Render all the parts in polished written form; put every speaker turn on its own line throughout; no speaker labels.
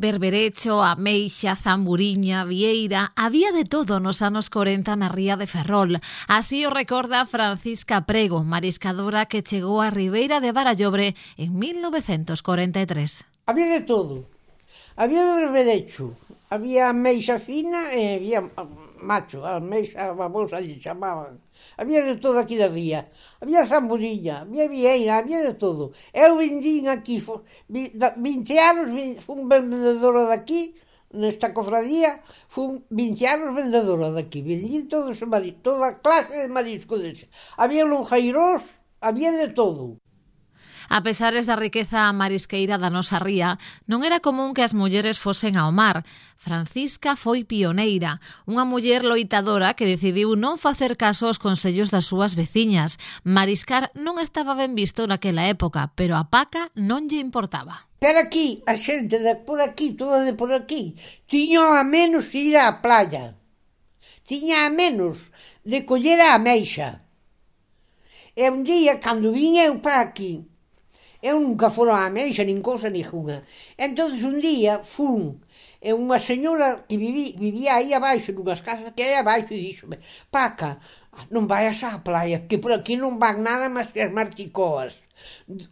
Berberecho, ameixa, zamburiña, vieira, había de todo nos anos 40 na ría de Ferrol. Así o recorda Francisca Prego, mariscadora que chegou á Ribeira de Barallobre en 1943.
Había de todo. Había berberecho, había ameixa fina e había macho, ameixa babosa lle chamaban. Había de todo aquí da ría. Había zamburiña, había vieira, había de todo. Eu vindín aquí, 20 anos, fun vendedora daqui, nesta cofradía, fun 20 anos vendedora daqui. Vendín todo ese marisco, toda clase de marisco dese. Había lonjeiros, había de todo.
A pesares da riqueza marisqueira da nosa ría, non era común que as mulleres fosen ao mar. Francisca foi pioneira, unha muller loitadora que decidiu non facer caso aos consellos das súas veciñas. Mariscar non estaba ben visto naquela época, pero a paca non lle importaba.
Pero aquí, a xente de por aquí, toda de por aquí, tiña a menos ir á playa. Tiña a menos de coller a ameixa. E un día, cando vin eu para aquí, eu nunca fora a ameixa, nin cousa ninguna. Entón, un día, fun, e unha señora que vivía aí abaixo, nunhas casas que hai abaixo, e díxome: Paca, non vayas á playa, que por aquí non van nada máis que as marticoas.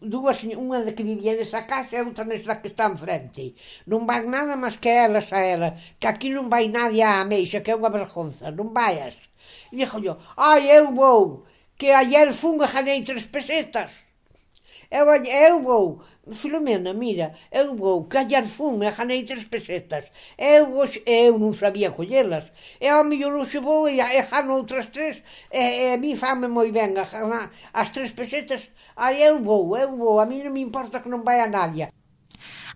Unha de que vivía nesa casa e outra nesa que está enfrente. Non van nada máis que elas a ela, que aquí non vai nadie á ameixa, que é unha vergonza, non vayas. E dixo yo: ai, eu vou, que ayer fun e ganei 3 pesetas. Eu vou, Filomena, mira, eu vou, que ayer fun e ganei 3 pesetas. Eu non sabía collelas. E ao mellor hoxe vou e gano outras 3, e a mí fame moi ben as 3 pesetas. Ai, eu vou, a mí non me importa que non vai a nadie.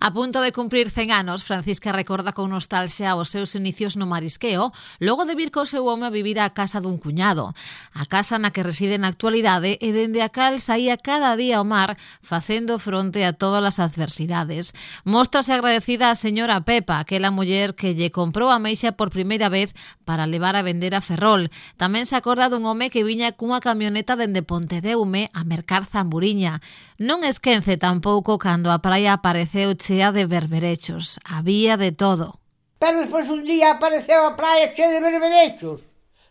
A punto de cumprir 100 anos, Francisca recorda con nostalgia os seus inicios no marisqueo, logo de vir co seu home a vivir á casa dun cuñado. A casa na que reside na actualidade e dende a cal saía cada día ao mar facendo fronte a todas as adversidades. Móstrase agradecida a señora Pepa, aquela muller que lle comprou a ameixa por primeira vez para levar a vender a Ferrol. Tamén se acorda dun home que viña cunha camioneta dende Pontedeume a mercar zamburiña. Non esquece tampouco cando a praia apareceu chea de berberechos. Había de todo.
Pero despois un día apareceu a praia chea de berberechos.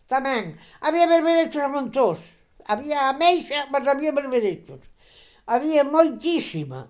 Tamén. Había berberechos a montós. Había ameixa, mas había berberechos. Había moitísima.